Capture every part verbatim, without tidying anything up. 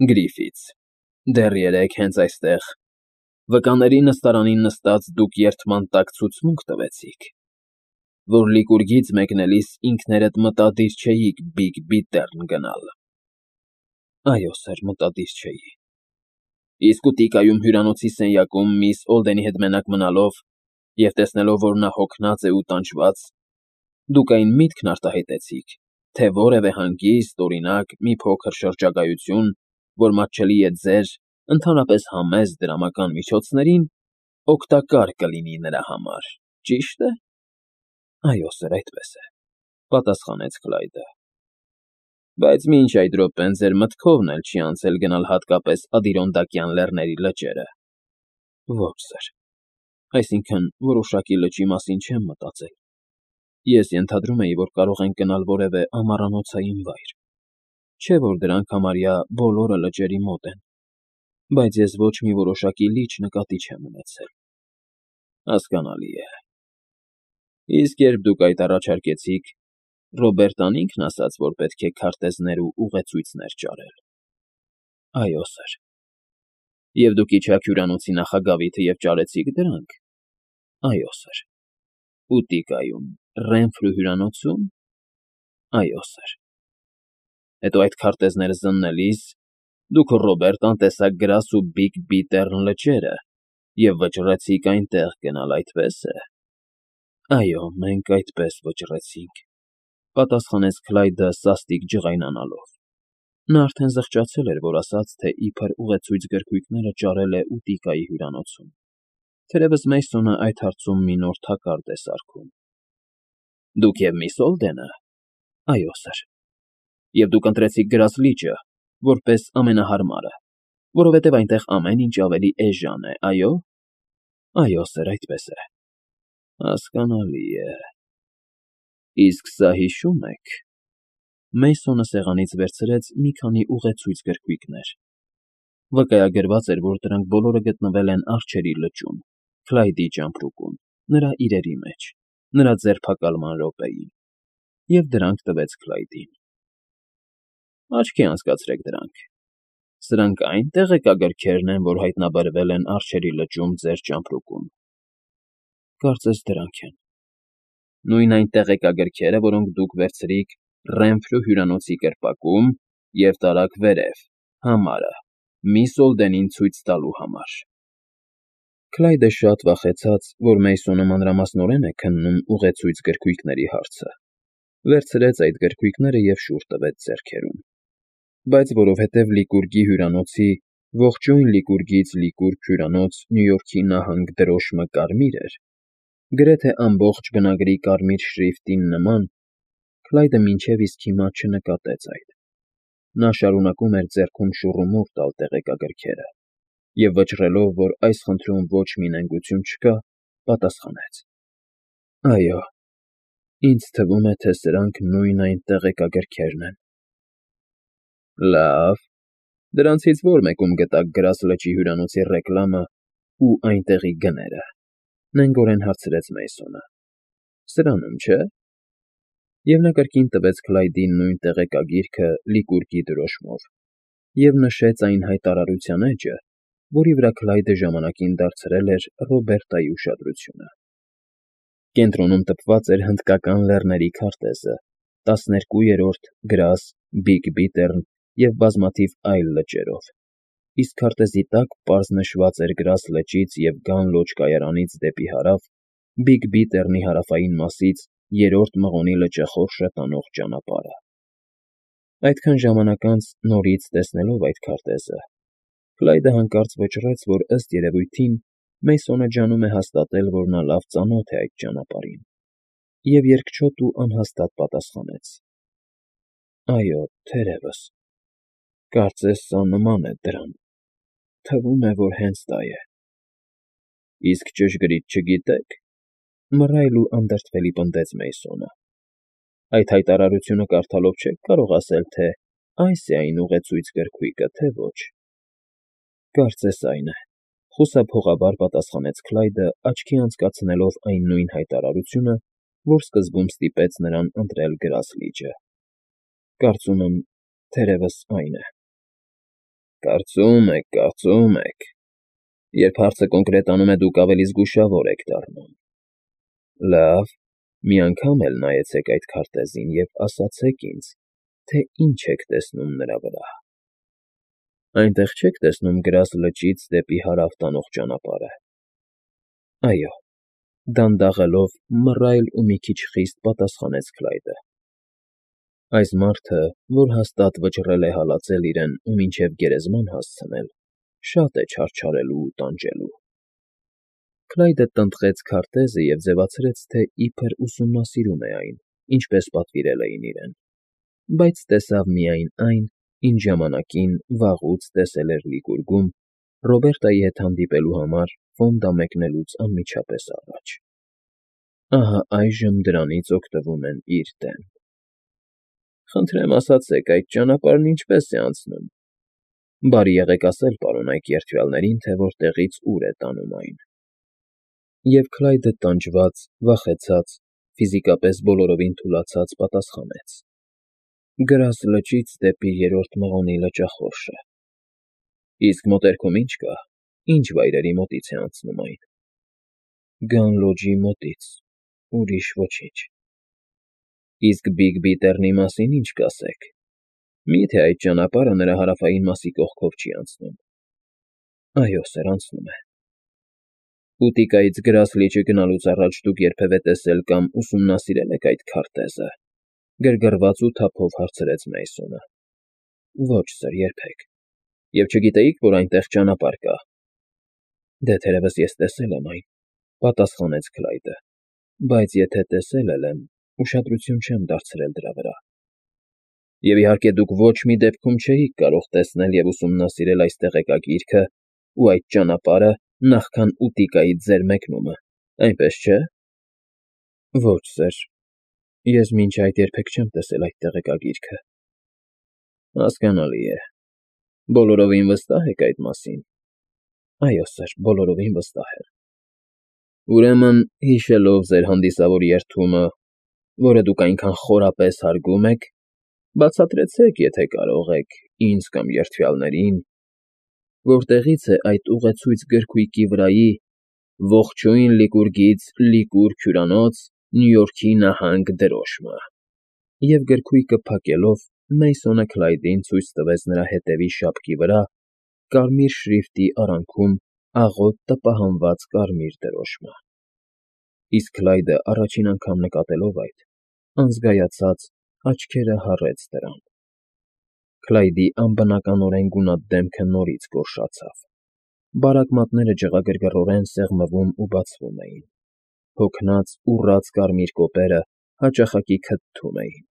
Գրիֆիթս, դեռ երեկ հենց այստեղ, վկաների նստարանին նստած դուք երդման տակ ցուցմունք տվեցիք, որ լիկուրգից մեկնելիս ինքներդ մտադիր չէիք Բիգ-Բիթեռն գնալ։ Այո, սըր, մտադիր չէի։ Իսկ ուտիկայում հյուրանոցի սենյակում միս Օլդենի հետ մենակ մնալով և տեսնելով, որ նա հոգնած է ու տանջված, դուք այն միտքն արտահայտեցիք, թե որևէ հանգիստ, օրինակ, մի փոքր շրջագայություն, որ մատչելի է ձեր, ընդհանրապես համեստ դրամական միջոցներին, օգտակար կլինի նրա համար, ճի՞շտ է։ Այո, սըր, այդպես է, պատասխանեց Քլայդը։ Բայց մինչ այդ րոպեն ձեր մտքովն էլ չի անցել գնալ հատկապես Ադիրոնդակյան լեռների լճերը։ Ոչ, սըր, այսինքն՝ որոշակի լճի մասին չեմ մտածել։ Ես ենթադրում էի, որ կարող ենք գնալ որևէ ամառանոցային վայր, չէ՞ որ դրանք համարյա բոլորը լճերի մոտ են, բայց ես ոչ մի որոշակի լիճ նկատի չեմ ունեցել։ Հասկանալի է։ Իսկ երբ դուք այդ առաջարկեցիք, Ռոբերտան ինքն ասաց, որ պետք է քարտեզներ ու ուղեցույցներ ճարել։ Այո, սըր։ Եվ դուք իջաք հյուրանոցի նախագավիթը և ճարեցիք դրանք։ Այո, սըր։ Ուտիկայում, Ռենֆրու հյուրանոցու՞մ։ Այո, սըր։ Հետո այդ քարտեզները զննելիս դուք Ռոբերտան տեսաք գրաս ու Բիգ֊Բիթեռն լճերը և վճռեցիք այնտեղ գնալ, այդպե՞ս է։ Այո, մենք այդպես վճռեցինք, պատասխանեց Քլայդը սաստիկ ջղայնանալով։ Նա արդեն զղջացել էր, որ ասաց, թե իբր ուղեցույց գրքույկները ճարել է Ուտիկայի հյուրանոցում։ Թերևս Մեյսոնը այդ հարցում մի նոր թակարդ է սարքում։ Դուք և միս Օլդենը։ Այո, սըր։ Եվ դուք ընտրեցիք Գրաս լիճը, որպես ամենահարմարը, որովհետև այնտեղ ամեն ինչ ավելի էժան է, այո։ Այո, սըր, այդպես է։ Հասկանալի է։ Իսկ սա հիշո՞ւմ եք։ Մեյսոնը սեղանից վերցրեց մի քանի ուղեցույց գրքույկներ։ Վկայագրված էր, որ դրանք բոլորը գտնվել են Արջերի լճում, Քլայդի ճամպրուկում, նրա իրերի մեջ, նրա ձերբակալման րոպեին, և դրանք տվեց Քլայդին։ Աչքի անցկացրեք դրանք։ Սրանք այն տեղեկագրքերն են, որ հայտնաբերվել են Արջերի լճում ձեր ճամպրուկում։ Կարծես դրանք են։ Նույն այն տեղեկագրքերը, որոնք դուք վերցրիք Ռենֆրու հյուրանոցի կրպակում և տարաք վերև, համարը, միս Օլդենին ցույց տալու համար։ Քլայդը շատ վախեցած, որ Մեյսոնը մանրամասնորեն է քննում ուղեցույց գրքույկների հարցը, վերցրեց այդ գրքույկները և շուռ տվեց ձեռքերում։ Բայց որովհետև Լիկուրգի հյուրանոցի ողջույն Լիկուրգից Լիկուրգ հյուրանոց Նյու Յորքի նահանգ դրոշմը կարմիր էր, գրեթե ամբողջ բնագրի կարմիր շրիֆտին նման, Քլայդը մինչև իսկ հիմա չնկատեց այդ։ Նա շարունակում էր ձեռքում շուռումուռ տալ տեղեկագրքերը և վճռելով, որ այս խնդրում ոչ մի նենգություն չկա, պատասխանեց. Այո, ինձ թվում է, թե սրանք նույն այն տեղեկագրքերն են։ Լավ, դրանցից ո՞ր մեկում գտաք Գրաս լճի հյուրանոցի ռեկլամն ու այնտեղի գները, նենգորեն հարցրեց Մեյսոնը։ Սրանում, չէ՞։ Եվ նա կրկին տվեց Քլայդին նույն տեղեկագիրքը Լիկուրգի դրոշմով և նշեց այն հայտարարության էջը, որի վրա Քլայդը ժամանակին դարձրել էր Ռոբերտայի ուշադրությունը։ Կենտրոնում տպված էր Հնդկական լեռների քարտեզը, տասներկուերորդ Գրաս, Բիգ֊Բիթեռն և բազմաթիվ այլ լճերով, իսկ քարտեզի տակ պարզ նշված էր Գրաս լճից և Գան Լոջ կայարանից դեպի հարավ Բիգ֊Բիթեռնի հարավային մասից Երրորդ Մղոնի լճախորշը տանող ճանապարհը։ Այդքան ժամանակ անց, նորից տեսնելով այդ քարտեզը, Քլայդը հանկարծ վճռեց, որ ըստ երևույթին Մեյսոնը ջանում է հաստատել, որ նա լավ ծանոթ է այդ ճանապարհին, և երկչոտ ու անհաստատ պատասխանեց. Այո, թերևս։ Կարծես սա նման է դրան։ Թվում է, որ հենց դա է։ Իսկ ճշգրիտ չգիտե՞ք, մռայլ ու անդրդվելի պնդեց Մեյսոնը։ Այդ հայտարարությունը կարդալով չեք կարող ասել, թե այս է այն ուղեցույց գրքույկը, թե ոչ։ Կարծես այն է, խուսափողաբար պատասխանեց Քլայդը, աչքի անցկացնելով այն նույն հայտարարությունը, որ սկզբում ստիպեց նրան ընտրել Գրաս լիճը։ Կարծում եմ, թերևս այն է։ Կարծում եք, կարծում եք… Երբ հարցը կոնկրետանում է, դուք ավելի զգուշավոր եք դառնում… Լավ, մի անգամ էլ նայեցեք այդ քարտեզին և ասացեք ինձ, թե ինչ եք տեսնում նրա վրա… Այնտեղ չե՞ք տեսնում Գրաս լճից դեպի հարավ տանող ճանապարհը… Այո, դանդաղելով, մռայլ ու մի քիչ խիստ պատասխանեց Քլայդը… Այս մարդը, որ հաստատ վճռել է հալածել իրեն ու մինչև գերեզման հասցնել, շատ է չարչարելու ու տանջելու… Քլայդը տնտղեց քարտեզը և ձևացրեց, թե իբր ուսումնասիրում է այն, ինչպես պատվիրել էին իրեն, բայց տեսավ միայն այն, ինչ ժամանակին վաղուց տեսել էր Լիկուրգում Ռոբերտայի հետ հանդիպելու համար ֆոնդա մեկնելուց անմիջապես առաջ… Ահա այժմ դրանից օգտվում են իր դեմ… Խնդրեմ ասացեք, այդ ճանապարհն ինչպե՞ս է անցնում… Բարի եղեք ասել պարոնայք երդվյալներին, թե որտեղից ուր է տանում այն… Եվ Քլայդը տանջված, վախեցած, ֆիզիկապես բոլորովին թուլացած պատասխանեց. Գրաս լճից դեպի Երրորդ Մղոնի լճախորշը… Իսկ մոտերքում ի՞նչ կա, ինչ վայրերի մոտից է անցնում այն… Գան Լոջի մոտից, ուրիշ ոչինչ… Իսկ Բիգբի տեռնի մասին ի՞նչ կասեք… Մի՞թե այդ ճանապարհը նրա հարավային մասի կողքով չի անցնում… Այո, սըր, անցնում է… Ուտիկայից Գրաս լիճը գնալուց առաջ դուք երբևէ տեսել կամ ուսումնասիրե՞լ եք այդ քարտեզը… գրգռված ու թափով հարցրեց Մեյսոնը։ Ոչ, սըր, երբեք… Եվ չգիտեիք, որ այնտեղ ճանապարհ կա… Դե, թերևս ես տեսել եմ այն, պատասխանեց Քլայդը, բայց եթե տեսել էլ եմ, ուշադրություն չեմ դարձրել դրա վրա… Եվ իհարկե դուք ոչ մի դեպքում չէիք կարող տեսնել և ուսումնասիրել այս տեղեկագիրքը ու այդ ճանապարհը նախքան Ուտիկայից ձեր մեկնումը, այնպես չէ՞… Ոչ, սըր, ես մինչ այդ երբեք չեմ տեսել այդ տեղեկագիրքը… Հասկանալի է… Բոլորովին վստահ եք այդ մասին… Այո, սըր, բոլորովին վստահ եմ… Ուրեմն, հիշելով ձեր հանդիսավոր երդումը, որը դուք այնքան խորապես հարգում եք, բացատրեցեք, եթե կարող եք, ինձ կամ երդվյալներին, որտեղի՞ց է այդ ուղեցույց գրքույկի վրայի «Ողջույն Լիկուրգից, Լիկուրգ հյուրանոց, Նյու Յորքի նահանգ» դրոշմը… Եվ գրքույկը փակելով Մեյսոնը Քլայդին ցույց տվեց նրա հետևի շապքի վրա կարմիր շրիֆտի արանքում աղոտ տպահանված կարմիր դրոշմը… Իսկ Քլայդը, առաջին անգամ նկատելով այդ, անզգայացած, աչքերը հառեց դրան… Քլայդի անբնականորեն գունատ դեմքը նորից գորշացավ, բարակ մատները ջղագրգռորեն սեղմվում ու բացվում էին, հոգնած, ուռած կարմիր կոպերը հաճախակի քթթում էին,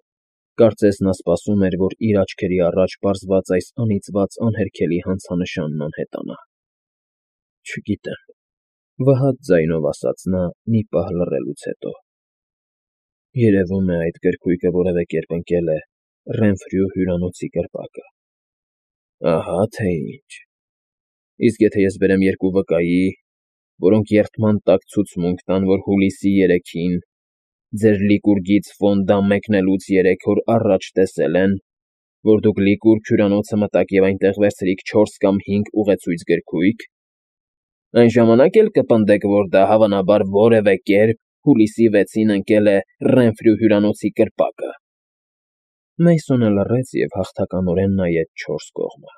կարծես նա սպասում էր, որ իր աչքերի առաջ պարզված այս անիծված անհերքելի հանցանշանն անհետանա… Չգիտեմ,֊ վհատ ձայնով ասաց նա մի պահ լռելուց հետո… Երևում է, այդ գրքույկը որևէ կերպ ընկել է Ռենֆրյու հյուրանոցի կրպակը… Ահա թե ինչ… Իսկ եթե ես բերեմ երկու վկայի, որոնք երդման տակ ցուցմունք տան, որ հուլիսի երեքին, ձեր Լիկուրգից ֆոնդա մեկնելուց երեք օր առաջ տեսել են, որ դուք Լիկուրգ հյուրանոցը մտաք և այնտեղ վերցրիք չորս կամ հինգ ուղեցույց գրքույկ, այն ժամանակ էլ կպնդեք, որ դա, հավանաբար, որևէ կերպ հուլիսի վեցին ընկել է Ռենֆրյու հյուրանոցի կրպակը… Մեյսոնը լռեց և հաղթականորեն նայեց չորս կողմը,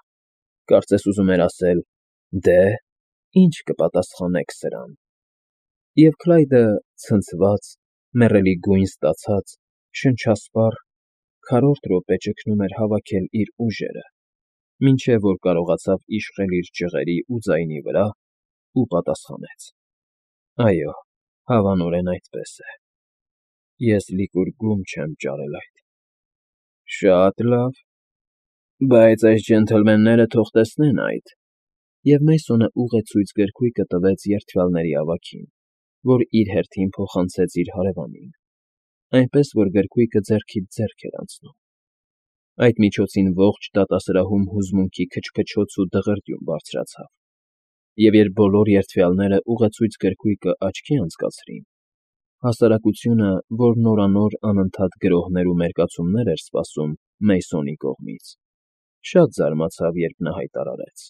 կարծես ուզում էր ասել. «Դե, ի՞նչ կպատասխանեք սրան»… Եվ Քլայդը, ցնցված, մեռելի գույն ստացած, շնչասպառ, քառորդ րոպե ճգնում էր հավաքել իր ուժերը, մինչև որ կարողացավ իշխել իր ճղերի ու ձայնի վրա ու պատասխանեց. «Այո, հավանորեն այդպես է… Ես Լիկուրգում չեմ ճարել այդ…»։ ֊ Շատ լավ… Բայց այս ջենթլմենները թող տեսնեն այդ…֊ Եվ Մեյսոնը ուղեցույց գրքույկը տվեց երդվյալների ավագին, որ իր հերթին փոխանցեց իր հարևանին, այնպես որ գրքույկը ձեռքից ձեռք էր անցնում… Այդ միջոցին ողջ դատասրահում հուզմունքի քչքչոց ու դղրդյուն բարձրացավ, և երբ բոլոր երդվյալները ուղեցույց գրքույկը աչքի անցկացրին, հասարակությունը, որ նորանոր անընդհատ գրոհներ ու մերկացումներ էր սպասում Մեյսոնի կողմից, Շատ զարմացավ, երբ նա հայտարարեց.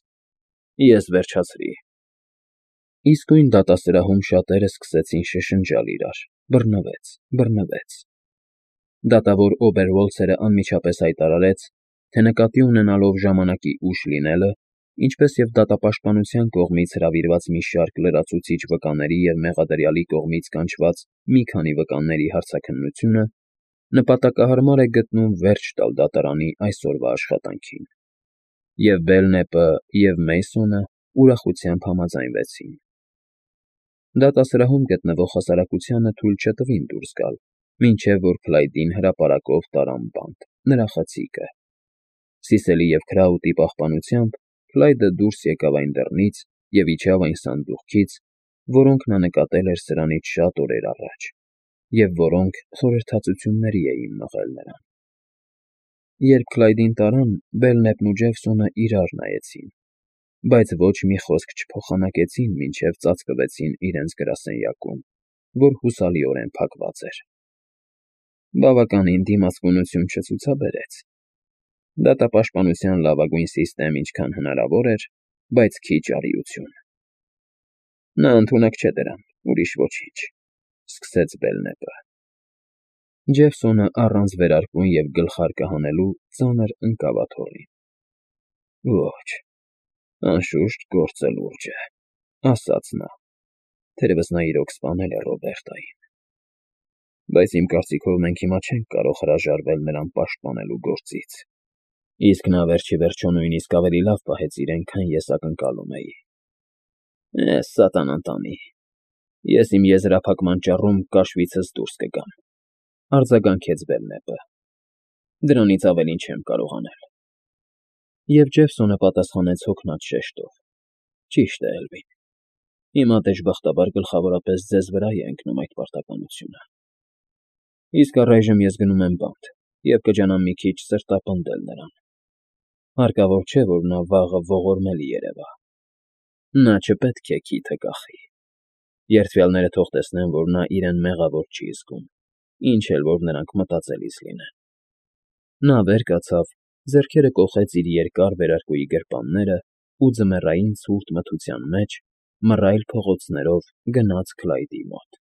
Ես վերջացրի։ Իսկույն դատասրահում շատերը սկսեցին շշնջալ իրար. բռնվեց, բռնվեց։ Դատավոր Օբերվոլցերը անմիջապես հայտարարեց, թե նկատի ունենալով ժամանակի ուշ լինելը, ինչպես և դատապաշտպանության կողմից հրավիրված մի շարք լրացուցիչ վկաների և մեղադրյալի կողմից կանչված մի քանի վկաների հարցաքննությունը, նպատակահարմար է գտնում վերջ տալ դատարանի այսօրվա աշխատանքին, և Բելնեպը, և Մեյսոնը ուրախությամբ համաձայնվեցին։ Դատասրահում գտնվող հասարակությանը թույլ չտվին դուրս գալ, մինչև որ Քլայդին հրապարակով տարան բանտ, նրա խցիկը։ Սիսելի և Քրաուտի պահպանությամբ Քլայդը դուրս եկավ այն դռնից և իջավ այն սանդուղքից, որոնք նա նկատել էր սրանից շատ օրեր առաջ, և որոնք խորհրդածությունների էին մղել նրան։ Երբ Քլայդին տարան, Բելնեպն ու Ջեֆսոնը իրար նայեցին, բայց ոչ մի խոսք չփոխանակեցին, մինչև ծածկվեցին իրենց գրասենյակում, որ հուսալիորեն փակված էր։ Բավականին դիմացկունություն չցուցաբերեց։ Դատապաշտպանության լավագույն սիստեմ ինչքան հնարավոր էր, բայց քիչ արիություն։ Նա ընդունակ չէ դրան, ուրիշ ոչինչ, սկսեց Բելնեպը։ Ջեֆսոնը առանց վերարկուն և գլխարկը հանելու ծանր ընկավ աթոռին։ Ոչ, անշուշտ գործը լուրջ է, ասաց նա, թերևս նա իրոք սպանել է Ռոբերտային, բայց իմ կարծիքով մենք հիմա չենք կարող հրաժարվել նրան պաշտպանելու գործից, իսկ նա վերջիվերջո նույնիսկ ավելի լավ պահեց իրեն, քան ես ակնկալում էի։ Էս սատանան տանի, ես իմ եզրափակման ճառում կաշվիցս դուրս կգամ, արձագանքեց Բելնեպը, դրանից ավելին չեմ կարող անել։ Եվ Ջեֆսոնը պատասխանեց հոգնած շեշտով. Ճիշտ է, Էլվին, հիմա դժբախտաբար գլխավորապես ձեզ վրա է ընկնում այդ պարտականությունը։ Իսկ առայժմ ես գնում եմ բանտ և կջանամ մի քիչ սրտապնդել նրան։ Հարկավոր չէ, որ նա վաղը ողորմելի երևա։ Նա չպետք է քիթը կախի։ Երդվյալները թող տեսնեն, որ նա իրեն մեղավոր չի զգում, ինչ էլ որ նրանք մտածելիս լինեն։ Նա վեր կացավ, ձեռքերը կոխեց իր երկար վերարկուի գրպանները ու ձմեռային ցուրտ մթության մեջ, մռայլ փողոցներով գնաց Քլայդի մոտ։